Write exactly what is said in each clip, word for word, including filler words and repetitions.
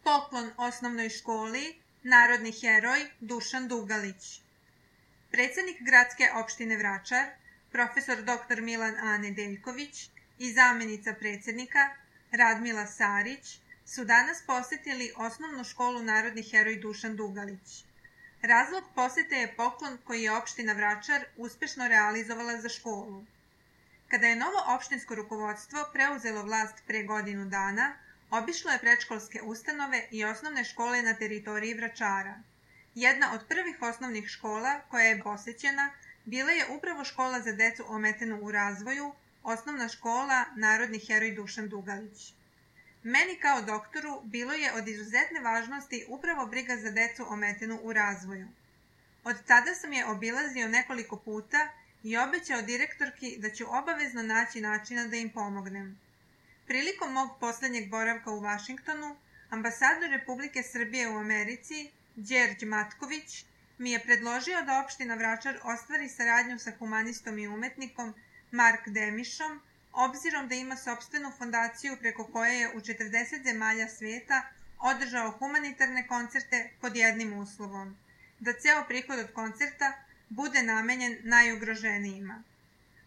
Poklon osnovnoj školi Narodni heroj Dušan Dugalić. Predsednik gradske opštine Vračar, profesor doktor Milan A. Nedeljković i zamenica predsednika Radmila Sarić su danas posetili osnovnu školu Narodni heroj Dušan Dugalić. Razlog posete je poklon koji je opština Vračar uspešno realizovala za školu. Kada je novo opštinsko rukovodstvo preuzelo vlast pre godinu dana, obišlo je predškolske ustanove i osnovne škole na teritoriji Vračara. Jedna od prvih osnovnih škola koja je posećena bila je upravo škola za decu ometenu u razvoju, osnovna škola Narodni heroj Dušan Dugalić. Meni kao doktoru bilo je od izuzetne važnosti upravo briga za decu ometenu u razvoju. Od tada sam je obilazio nekoliko puta i obećao direktorki da ću obavezno naći načina da im pomognem. Prilikom mog poslednjeg boravka u Vašingtonu, ambasador Republike Srbije u Americi, Đerđ Matković, mi je predložio da opština Vračar ostvari saradnju sa humanistom i umetnikom Mark Demišom, obzirom da ima sopstvenu fondaciju preko koje je u četrdeset zemalja sveta održao humanitarne koncerte pod jednim uslovom, da ceo prihod od koncerta bude namenjen najugroženijima.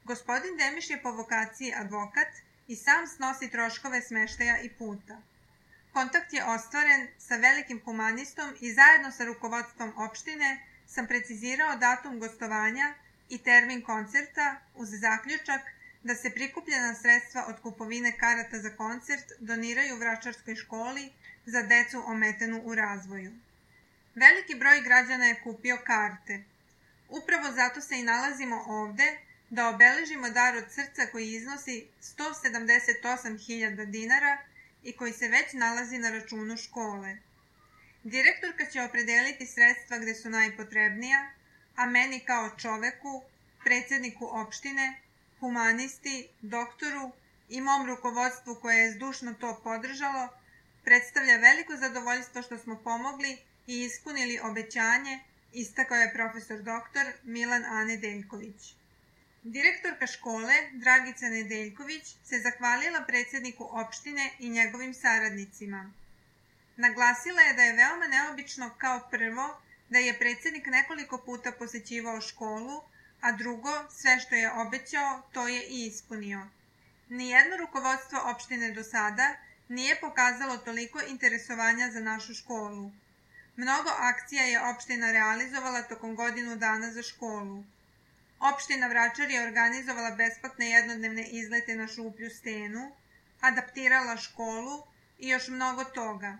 Gospodin Demiš je po vokaciji advokat i sam snosi troškove smeštaja i puta. Kontakt je ostvaren sa velikim humanistom i zajedno sa rukovodstvom opštine sam precizirao datum gostovanja i termin koncerta uz zaključak da se prikupljena sredstva od kupovine karata za koncert doniraju Vračarskoj školi za decu ometenu u razvoju. Veliki broj građana je kupio karte. Upravo zato se i nalazimo ovde da obeležimo dar od srca koji iznosi sto sedamdeset osam hiljada dinara i koji se već nalazi na računu škole. Direktorka će opredeliti sredstva gde su najpotrebnija, a meni kao čoveku, predsedniku opštine, humanisti, doktoru i mom rukovodstvu koje je zdušno to podržalo, predstavlja veliko zadovoljstvo što smo pomogli i ispunili obećanje, istakao je profesor doktor Milan A. Nedeljković. Direktorka škole, Dragica Nedeljković, se zahvalila predsedniku opštine i njegovim saradnicima. Naglasila je da je veoma neobično kao prvo da je predsednik nekoliko puta posećivao školu, a drugo, sve što je obećao, to je i ispunio. Nijedno rukovodstvo opštine do sada nije pokazalo toliko interesovanja za našu školu. Mnogo akcija je opština realizovala tokom godinu dana za školu. Opština Vračar je organizovala besplatne jednodnevne izlete na Šuplju stenu, adaptirala školu i još mnogo toga.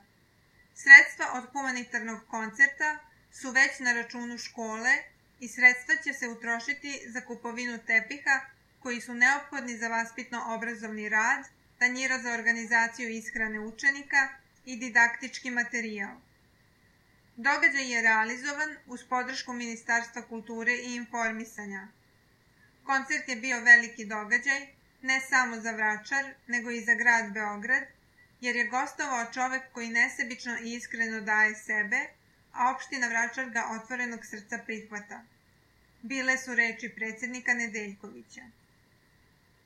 Sredstva od humanitarnog koncerta su već na računu škole i sredstva će se utrošiti za kupovinu tepiha koji su neophodni za vaspitno-obrazovni rad, tanjira za organizaciju ishrane učenika i didaktički materijal. Događaj je realizovan uz podršku Ministarstva kulture i informisanja. Koncert je bio veliki događaj, ne samo za Vračar, nego i za grad Beograd, jer je gostovao čovek koji nesebično i iskreno daje sebe, a opština Vračar ga otvorenog srca prihvata. Bile su reči predsednika Nedeljkovića.